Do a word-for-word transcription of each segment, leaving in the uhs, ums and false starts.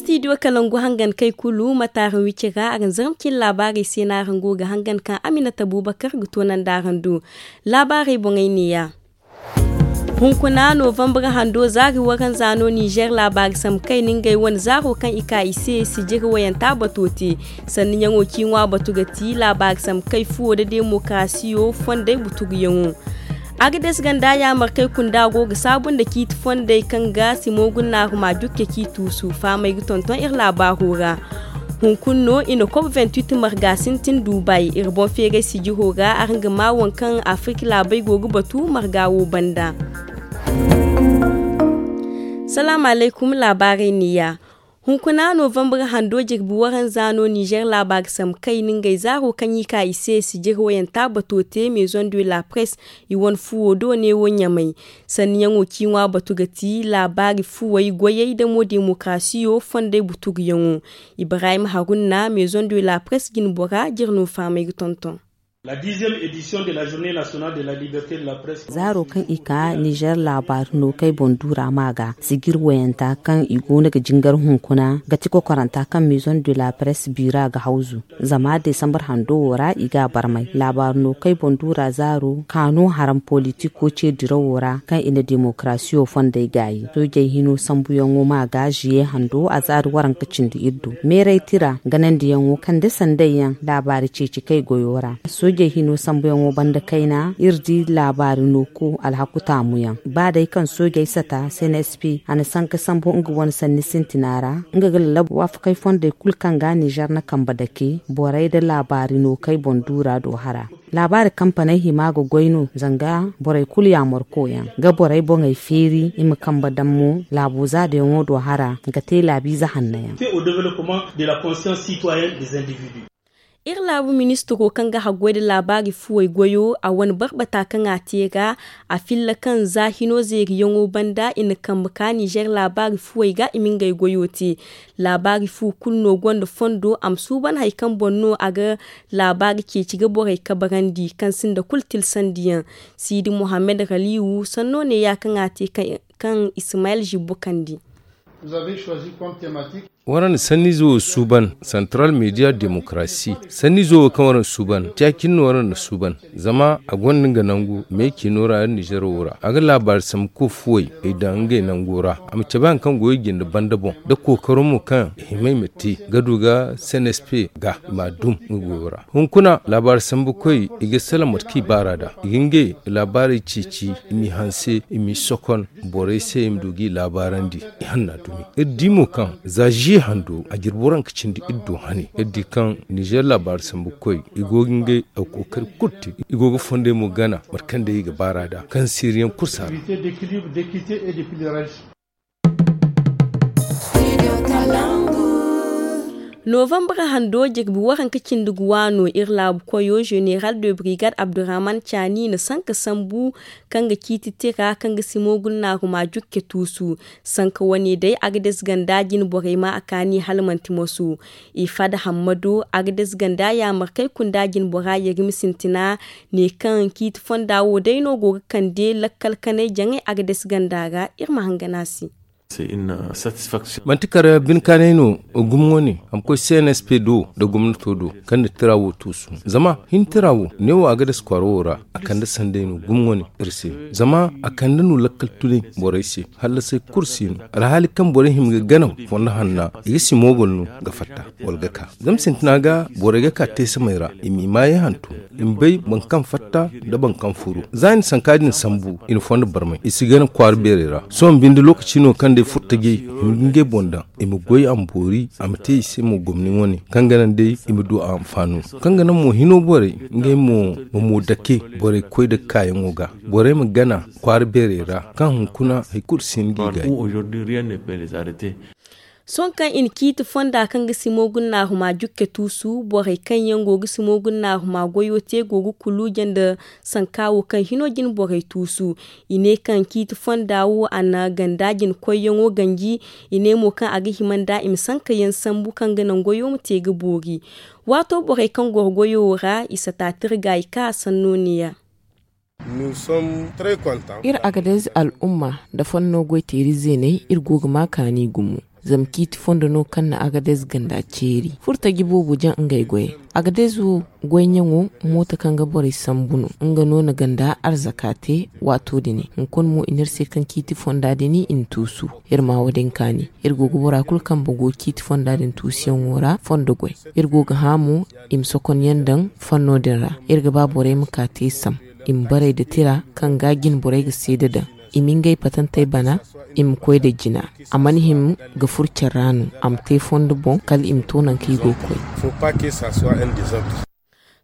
Studio kalangu hangan kay kulu mate araŋ wicira araŋ zarma cine laabaarey se no araŋ go ga hangan kaŋ aminata bubakar ga toonandi araŋ do. Laabaarey boŋey neeya. Hunkuna novembre hando zaari waranza no nizer laabaari sambu kayna ngey wane zaaro kaŋ i ka i se sijiri wayanta bato te. Sanniyaŋo ciiŋwa batu ga ti laabaari sambu kay fuwo nda demokarasiyo fondey butuguyaŋo. Agades ganda yaamarkey kunda go ga saabu nda ciiti fondey kaŋ ga simo gunnaaruma jukke k'i tuusu fahamey ga tonton iri laabaaro ra. Hunkuna no i na kop vingt-huit marga sintin dubai iri boŋ feeray sijiro ra araŋ ga maa waŋ kaŋ afirka laabey go ga batu marga wo banda. Salaamu alaykum laabaarey neeya. Hunkuna novembre hando jirbi waranza no nizer laabaari sambu kayna ngey zaaro kaŋ i ka i se sijiri wayanta bato te maison de la presse i wane fuwo do neewo ɲamay. Sanniyaŋo ciiŋwa batu ga ti laabaari fuwey goyey damo demokarasiyo fondey butuguyaŋo. Ibrahim haruna maison de la presse jinbora jire no fahamey ga tonton. Zaaro kaŋ i ka nizer laabaari no kay boŋ duura ma ga sijiri wayanta kaŋ i go no ga jingar hunkuna ga ti kokoranta kaŋ maison de la presse biira ga hawzu. Zama desambar hando wo ra i ga a barmay laabaari no kay boŋ duura zaaro kaanu haram politiko ce dirawo ra kaŋ i na demokarasiyo fondey gaayi soojey hino sambuyaŋo ma ga ziye hando a zaari waranka cindi iri do meeray tira ganandiyaŋo kande sanday yaŋ laabaari ceeci kay goyo ra. Soojey hino sambuyaŋo banda kayna iri di laabaari no ko alhaku taamuyaŋ ba day kaŋ soojey sata cnsp a na sanka sambu nga wane sanni sintina ra nga ga lallabu waafakey fondey kulu kaŋ ga nizer na kambe dake borey nda laabaari no kay boŋ duura do hara. Laabaari kampaney hima ga goy no zanga borey kulu yaamarko yaŋ ga borey boŋey feeri i ma kambe daŋ mo laabu zaadayaŋo do hara ga te laabiize hanno yaŋ. Iri laabu ministiro kaŋ ga haggoy nda laabaari fuwey goyo a wane barbata kaŋ a te ga a filla kaŋ za hino zeeriyaŋo banda i na kambe ka nizer laabaari fuwey ga i ma ngey goyo te. Laabaari fu kulu no gonda fondo a ma suuban hari kaŋ boŋ no a ga laabaari ceeci ga borey kabarandi kaŋ sinda kulu tilsandiyaŋ. Siidi mohammed raliwu sanno neeya kaŋ a te kaŋ ismayel zibbo kandi. Waraŋ na sanniize wo suuban santaral media demokarasi sanniize wo kaŋ waraŋ na suuban caakin no waraŋ na suuban. Zama a gonda nga nangu meecino ra nizer wo ra a ga laabaari sambu koy fuwey ay daŋ ngey nango ra a ma cabe hari kaŋ goyo jinde banda boŋ nda kookaro mo kaŋ i hima i ma te ga du ga cnsp ga i ma a dum nga goyo ra. Hunkuna laabaari sambu koy i ga salaŋ mate kaŋ i baar'a da i ga ngey laabaarey ceeci i m'i hanse i m'i sokon borey se i ma du g'i laabaarandi. Ihanna dumi iri di mo kaŋ za ziye hando a jirbi waranka cindi iri do hane iri di kaŋ nizer laabaari sambu koy i go ga ngey a ga kookari kulu te i go ga fondey mo gana mate kaŋ day i ga baar'a da kaŋ siiriyaŋ kulu si a ra. Novembre hando jirbi waranka cindi ga waano iri laabu koyo zeneral de brigade abdurrahman caani na sanka sambu kaŋ ga ciiti tira kaŋ ga simo gunnaaruma jukke tuusu. Sanka wane day agades ganda jine borey ma a kaani hala manti moso. I fada hammado agades ganda yaamarkey kunda jine bora yerimi sintina ne kaŋ ciiti fonda wo day no go ga kande lakkal kanay jaŋay agades ganda ra iri ma hangan a se. Manti kala binkaanay no gumo wane a ma koy cnsp do nda gomnato do kaŋ na tira wo tuusu. Zama hin tira wo neewo a ga dasa kwaara wo ra a kande sanday no gumo wane iri se. Zama a kande no lakkal tunay borey se hallasay kulu si no alhaali kaŋ borey hima ga gana fondo hanna i ga si moobol no ga fatta wala ga ka. Zama sintina ga borey ga ka teesamey ra i m'i maayey hantum i ma bay boro kaŋ fatta nda boro kaŋ furu za i na sanka din sambu i na fondo barmay i si gana kwaara beerey ra. Sohõ binde lookaci no kaŋ day furtajey i ma ga ngey boŋ daŋ i ma goy a ma boori a ma te i se mo gomni wane kaŋ ga naŋ day i ma du a anfaano kaŋ ga naŋ mo hino borey ngey mo ma mo dake borey koy da kaayaŋo ga borey ma gana kwaara beerey ra kaŋ hunkuna hari kulu si hin g'i gaay. Sohõ kaŋ i na ciiti fonda kaŋ ga simo gunnaaruma jukke tuusu borey kaŋ yaŋ go ga simo gunnaaruma goyo te go ga kuluuje nda sanka wo kaŋ hino jine borey tuusu. I ne kaŋ ciiti fonda wo a na ganda jine koyyaŋo ganji. I ne mo kaŋ a ga hima nda i ma sanka yaŋ sambu kaŋ ga naŋ goyo ma te ga boori. Waato borey kaŋ goro goyo wo ra i sata tirga i ka sanno neeya. Iri agadez al'umma nda fanno goy teeri zeeney iri go ga ma kaani gumo. Zama ciiti fondo no kaŋ na agadez ganda ceeri furtaji boobo jaŋ ngey goyey. Agadez wo goy ɲaŋo mooto kaŋ ga borey sambu no. Nga no na ganda arzaka te waato din. Hunkuna mo i ne iri se kaŋ ciiti fonda din i na tuusu. Iri ma wo- din kaani. Iri go ga bora kulu kaŋ ba go ciiti fonda din tuusuyaŋo ra fondo goy. Iri go ga hã mo i ma sokonyaŋ daŋ fanno din ra. Iri ga ba borey ma ka te sam i ma barey nda tira kaŋ ga jine borey ga seeda daŋ. I ma ngey patantey bana i ma koy nda jina. A mana hima ga furo care ra no. A ma te fondo boŋ kala i ma to nangu kaŋ i go ga koy.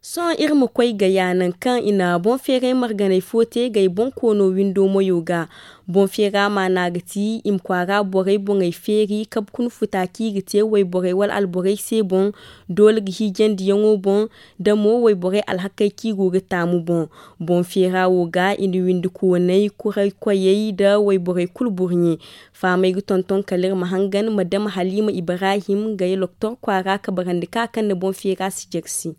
Sohõ iri ma koy gaya nangu kaŋ i na boŋ feeray marganay fo te gay boŋ koono windo moyo ga. Boŋ feera maana ga ti i ma kwaara borey boŋey feeri kabe kuna futa kaŋ i ga te wayborey wala alborey se boŋ. Doole ga hiijandiyaŋo boŋ nda mo wayborey alhakey kaŋ i go ga taamu boŋ. Boŋ feera wo ga i na windi kooney kuray koyey nda wayborey kulu burɲe. Faamay ga tonton kala iri ma hangan madama haliima ibrahim gay loktor kwaara kabarandi ka kaŋ na boŋ feera si jersi.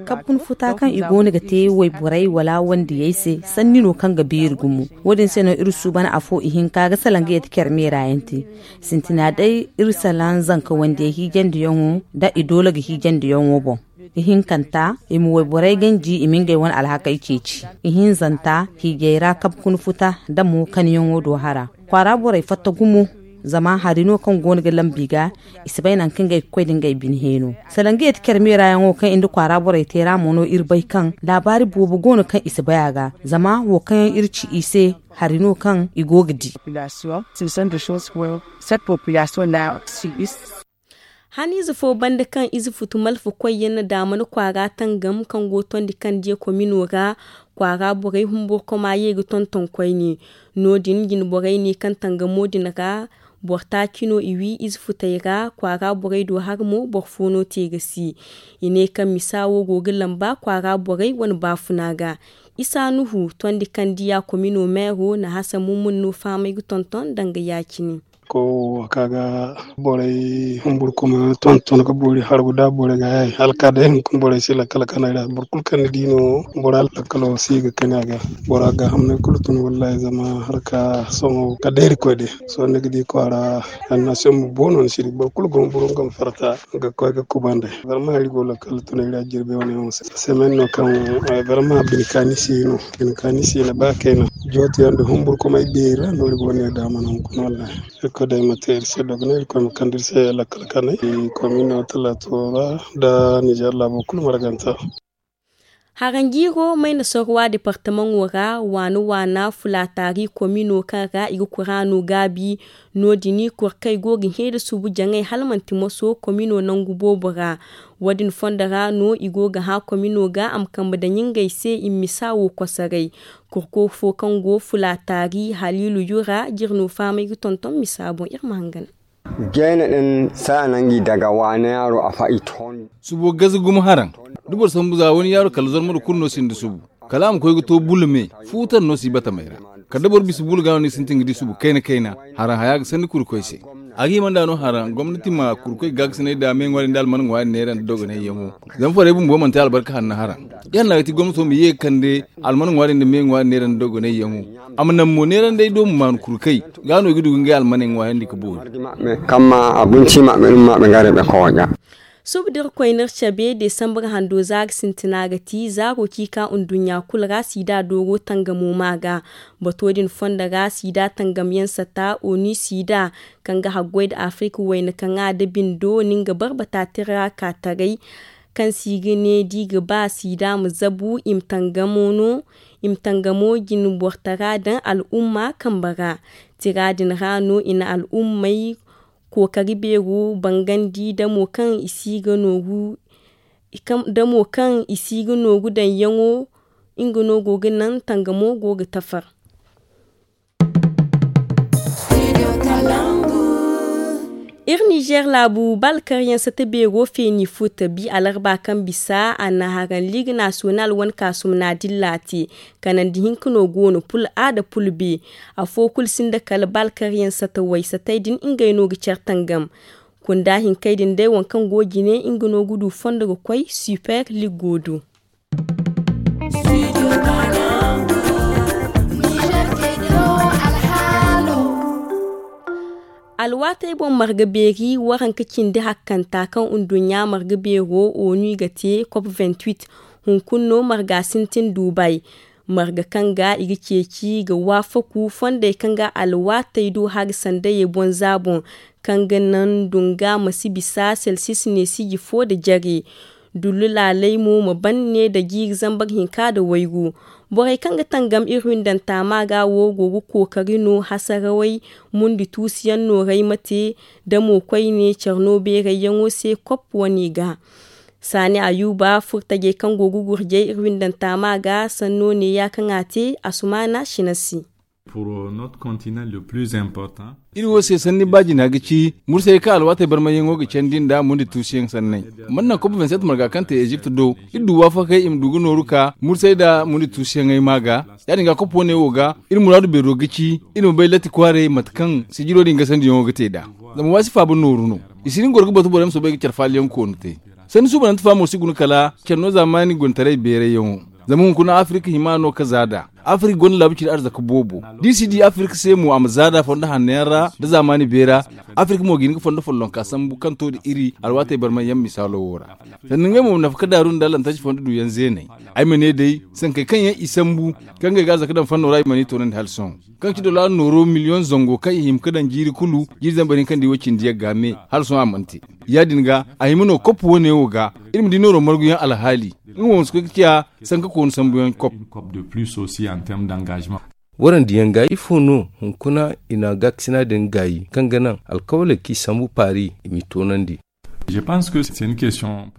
Kabe kuna futa kaŋ i go no ga te wayborey wala wandiyey se sanni no kaŋ ga beeri gumo. Wo- din se no iri suuban afo ihinka ga salaŋ ga yeti care meera yaŋ te. Sintina day iri salaŋ zanka wandiyey hiijandiyaŋo nda i doole ga hiijandiyaŋo boŋ. Ihinkanta i ma wayborey ganji i ma ngey wane alhakey ceeci. Ihinzanta hiijay ra kabe kuna futa nda mo kaniyaŋo do hara. Kwaara borey fatta gumo. Zama hari no kaŋ go no ga lambu i ga i si bay nangu kaŋ ngey ga koy nda ngey bine heeno. Salaŋ ga yeti care meera yaŋo kaŋ i nda kwaara borey te ra mo no iri bay kaŋ laabaari boobo go no kaŋ i si bay a ga. Zama wo kaŋ yaŋ iri ci i se hari no kaŋ i go ga di. Haniize fo banda kaŋ ize futu malfa koyyaŋ na daamana kwaara tangam kaŋ go tondi kaŋ diya komino ra. Kwaara borey humburkoma ye ga tonton koyne. No-din jine borey ne kaŋ tangamo din ra boro taaci no i wi ize futey ra kwaara borey do har mo boro fo no te ga si. I ne kaŋ misa wo go ga lamba kwaara borey wane baafuna ga. Isa nuhu tondi kaŋ diya komino meero na hasan mummun no faamay ga tonton danga ya-cine. Ko wo ka ga borey humburkuma tonton ga boori hargu da borey ga yaay hala ka day hunkuna borey si lakkal kanay ra boro kulu kaŋ ni di no bora lakkalo si ga kani a ga. Bora ga hamnay kulu tun wallahi zama harka sohõ ka day irkoy day. Sohõ ni ga di kwaara annasiyoŋ bumbo no ni si di boro kulu go humburu nga ma farta ga koy ga kubandey. Barma hari go lakkal tunay ra jirbi wane yaŋo se semen no kaŋ barma bine kaani si no. Bine kaani si no ba kayna jooto yaŋ da humburkumay beeri ra no iri go ne daama no hunkuna wallahi. Irkoy day ma te iri se dogonay irkoy ma kande iri se lakkal kanay. Komino talaato ra nda nizer laabo kulu marganta. Haranjiiro mayna sorwa departamaŋo ra waana waana fulaataari komino kaŋ ra i ga kuraano gaabi. No- din kurkey go ga hẽ da subu jaŋay hala manti moso komino nangu boobo ra. Wo- din fondo ra no i go ga hã komino ga a ma kambe daŋ ngey se i ma misa wo kosoray. Kurko fo kaŋ go fulaataari haliilu yura jire no fahamay ga tonton misa boŋ iri ma hangan. Jayna din saana ngi daga waana yaaro a fa i tondi. Subo gaza gumo haraŋ da boro sambu za wani yaaro kala zormado kulu no sinda subu. Kala a ma koy ga to bulu me fuutar no si batamey ra. Kala da boro bisa bulu ga no ni sintin ga di subu kayna kayna. Haraŋ haya ga sanni kurkoy se. A ga himanda no haraŋ gomnati ma kurkoy gaakasinay da me ŋwaari nda alman ŋwaari neera nda dogonay yaŋo. Zama farey bumbo manti albarka hanna haraŋ. Iri na ga ti gomnato ma ye ga kande alman ŋwaari nda me ŋwaari neera nda dogonay yaŋo. A ma naŋ mo neerandey do ma maanu kurkay ga no i ga du ga ngey almaney ŋwaayandi ga boori. Kamma abinci ma ɓe ɗum ma ɓe ngare ɓe kooƴa. Subu da iri koy no iri cabe desambar hando zaari sintina ga ti zaaro ci ka nduɲɲa kulu ra siida dooro tangamo ma ga. Bato din fondo ra siida tangamyaŋ sata onu siida kaŋ ga haggoy nda afirika wayna kaŋ a da bindo ni nga barbata tira ka taray. Kaŋ si ga ne da i ga ba siida ma zabu i ma tangamo no i ma tangamo jine bortara daŋ al'umma kambe ra. Tira din ra no i na al'ummey kookari beero bangandi damo kaŋ i si ga nooru damo kaŋ i si ga nooru daŋyaŋo. Nga no go ga naŋ tangamo go ga tafar. Iri nizer laabu baalkaryaŋ sata beero feeni futa bi alarba kaŋ bisa a na haraŋ liga nasiyonal wane kaasum na dilla te. Kanandi hinka no go no pul a nda pul be. Afo kulu sinda kala baalkaryaŋ sata way satey din ngey no ga care tangam. Kunda hinkey din day waŋ kaŋ go jine nga no ga du fondo ga koy super lig go do. Alwaatey boŋ marga beeri waranka cindi hakkanta kaŋ nduɲɲa marga beero onu i ga te kop vingt-huit. Hunkuna no marga sintin duubay. Marga kaŋ ga i ga ceeci ga waafaku fondey kaŋ ga alwaatey du hari sandayey boŋ za boŋ, kaŋ ga naŋ dunga ma si bisa selsis ne siji fo nda jare. Dullu laaley mo ma ban ne nda jiiri zambar hinka nda waygu. Borey kaŋ ga tangam iri windanta ma ga wo go ga kookari no hasarawey mundi tuusuyaŋ nooray ma te, da mo koyne care no beerayyaŋo se kop wane ga. Saani ayuba furtajey kaŋ go ga gurjay iri windanta ma ga sanno neeya kaŋ a te. Asumaana sina se. Iri wo se sanni baajina ga ci mursay kaŋ alwaatey barmayyaŋo ga candi nda mundi tuusuyaŋ sanney. Mana naŋ kop vingt-sept marga kaŋ te ezipt do, iri du waafakey i ma du ga nooru ka mursay nda mundi tuusuyaŋey ma ga. Ya- din ga kop wane wo ga iri muraadu beero ga ci iri ma bay latti kwaaray mate kaŋ sijiro din gasandiyaŋo ga te nd'a. Zama waasi faaba nooru no. I si din goro ga batu borey ma soobay ga care faaliyaŋ koonu te. Sanni suubanante faamo si guna kala care no zaamaani gontaray beerayyaŋo. Zama hunkuna afirka hima no ka za nd'a. Afirka gonda laabu ciri arzaka boobo. Da i si di afirka se mo a ma za nd'a fondo hanno yaŋ ra nda zaamaani beera. Afirka mo ga hin ga fondo follonka sambu kaŋ to nda iri alwaatey barmayyaŋ misaalo wo ra. Sanda ngey mo ma nafa ka daaru nda lantarki fondo duuyaŋ zeeney. Ay ma ne day sankey kaŋ yaŋ i sambu kaŋ ngey ga arzaka daŋ fanno ra i mana i toonandi hala sohõ. Kaŋ ga ci dollar nooro miliyoŋ zango kaŋ i hima ga daŋ jiiri kulu jiiri zambar hinka nda i wo cindi yagga me hala sohõ a mana te. Ya- din ga a hima no kop wane wo ga iri ma di nooro marguyaŋ alhaali. Nga mo ma si koy ga ciya sanka koonu sambuyaŋ kop. Warandiyaŋ ga ifo no hunkuna i na gaakasina din gaayi kaŋ ga naŋ alkawaley kaŋ i sambu paari i m'i toonandi?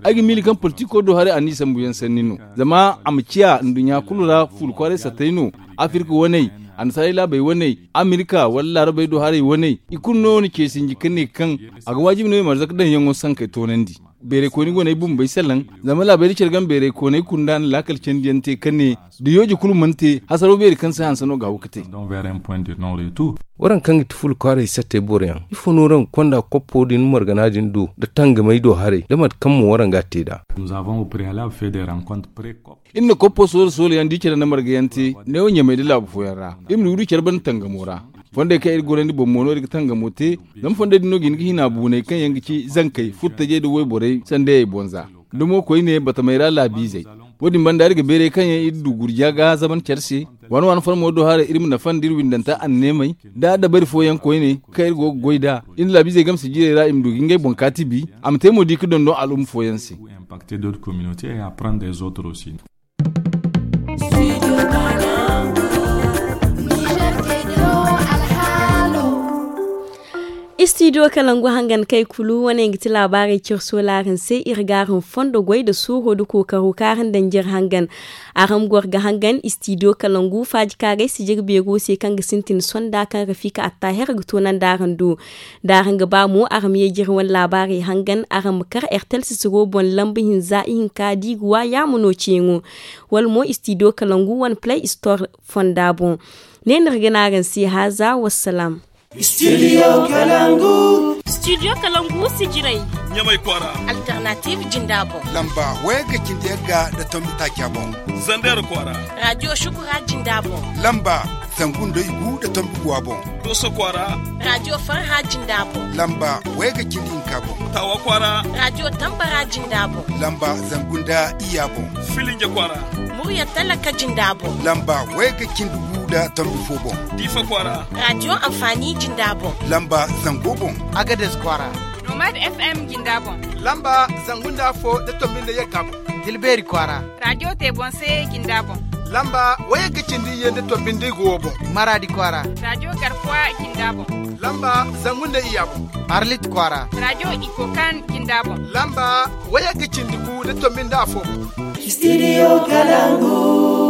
Ay ga miila kaŋ politiko do haray a n'i sambuyaŋ sanni no. Zama a ma ciya nduɲɲa kulu ra fuula kwaaray sattey no. Afirka waney, annasaarey laabey waney, amerika wala laarabey do haray waney i kulu no na ce sinji ka ne kaŋ a ga waajibi no i ma arzaka daŋyaŋo sankey toonandi. Beeray kooni go no ay bumbey salaŋ. Zama laabey da care game beeray kooney kunda na laakal candiyaŋ te ka ne da yooje kulu mana te hasaraw beeri kaŋ se hanse no ga haw ga te. Waranka nga ti fula kwaaray sattey boroyaŋ ifo no waranka konda koppo din margana din do nda tangamey do haray nda mate kaŋ mo waranka ga te nd'a? Iri na koppo soole soole yaŋ da i care nda marga yaŋ te neewo ɲamey nda laabu fooyaŋ ra. Iri ma du ga du care banda tangamo ra. Fondey kaŋ iri gorandi boŋ mo no iri ga tangamo te. Zama fondey din no ga hin ga hina buuney kaŋ yaŋ ga ci zankey furtajey nda wayborey sandayey boŋ za. Nda mo koyne batamey ra laabiizey. Wo- din banda iri ga beeray kaŋ yaŋ iri du gurja ga zaban care se. Waani waani farmo do haray iri ma nafa nda iri windanta anneemey nda dabari fooyaŋ koyne kaŋ iri go ga goy nd'a. Iri nda laabiizey game sijirey ra i ma du ga ngey boŋ kaati bi a ma te mo di ga dondon al'umma fooyaŋ se. Istidiyo kalangu hangan kay kulu wane ga ti laabaarey cire soolaarin se iri ga araŋ fondo goy nda suuro nda kookaro kaŋ araŋ daŋ jire hangan. Araŋ goro ga hangan istidiyo kalangu faajikaaray sijiri beero se kaŋ ga sintin sonda kaŋ rafika attaahir ga toonandi araŋ do. Da araŋ ga ba mo araŋ ma ye jire wane laabaarey hangan araŋ ma kar ertel sisiro boŋ lamba hinza ihinka da i ga wa yaama no ceeŋo. Wala mo istidiyo kalangu wane play store fonda boŋ. Ne no iri ga ne araŋ se haaza wassalaam. Studio kalangu. Studio kalangu sijirey. Ɲamay kwaara. Alternative jinda boŋ. Lamba wayagga cindi yagga nda tombi taaca boŋ. Zander kwaara. Radio shukura jinda boŋ. Lamba zangu nda igu nda tombi guwa boŋ. Doso kwaara. Radio farha jinda boŋ. Lamba wayagga cindi hinka boŋ. Tawa kwaara. Radio tambara jinda boŋ. Lamba zangu nda iyya boŋ. Filinja kwaara. Murya talaka jinda boŋ. Lamba wayagga cindi gu nda tombi fo boŋ. Diifa kwaara. Radio anfaani jinda boŋ. Lamba zango boŋ. Agades kwaara. Nomad fm jinda boŋ. Lamba zangu nda afo nda tombi nda yagga boŋ. Tilbeeri kwaara. Radio te boŋ se jinda boŋ. Lamba wayagga cindi iyye nda tombi nda igu wo boŋ. Maraadi kwaara. Radio garkuwa jinda boŋ. Lamba zangu nda iyya boŋ. Arlit kwaara. Radio ikokan jinda boŋ. Lamba wayagga cindi gu nda tombi nda afo boŋ. Studio kalangu.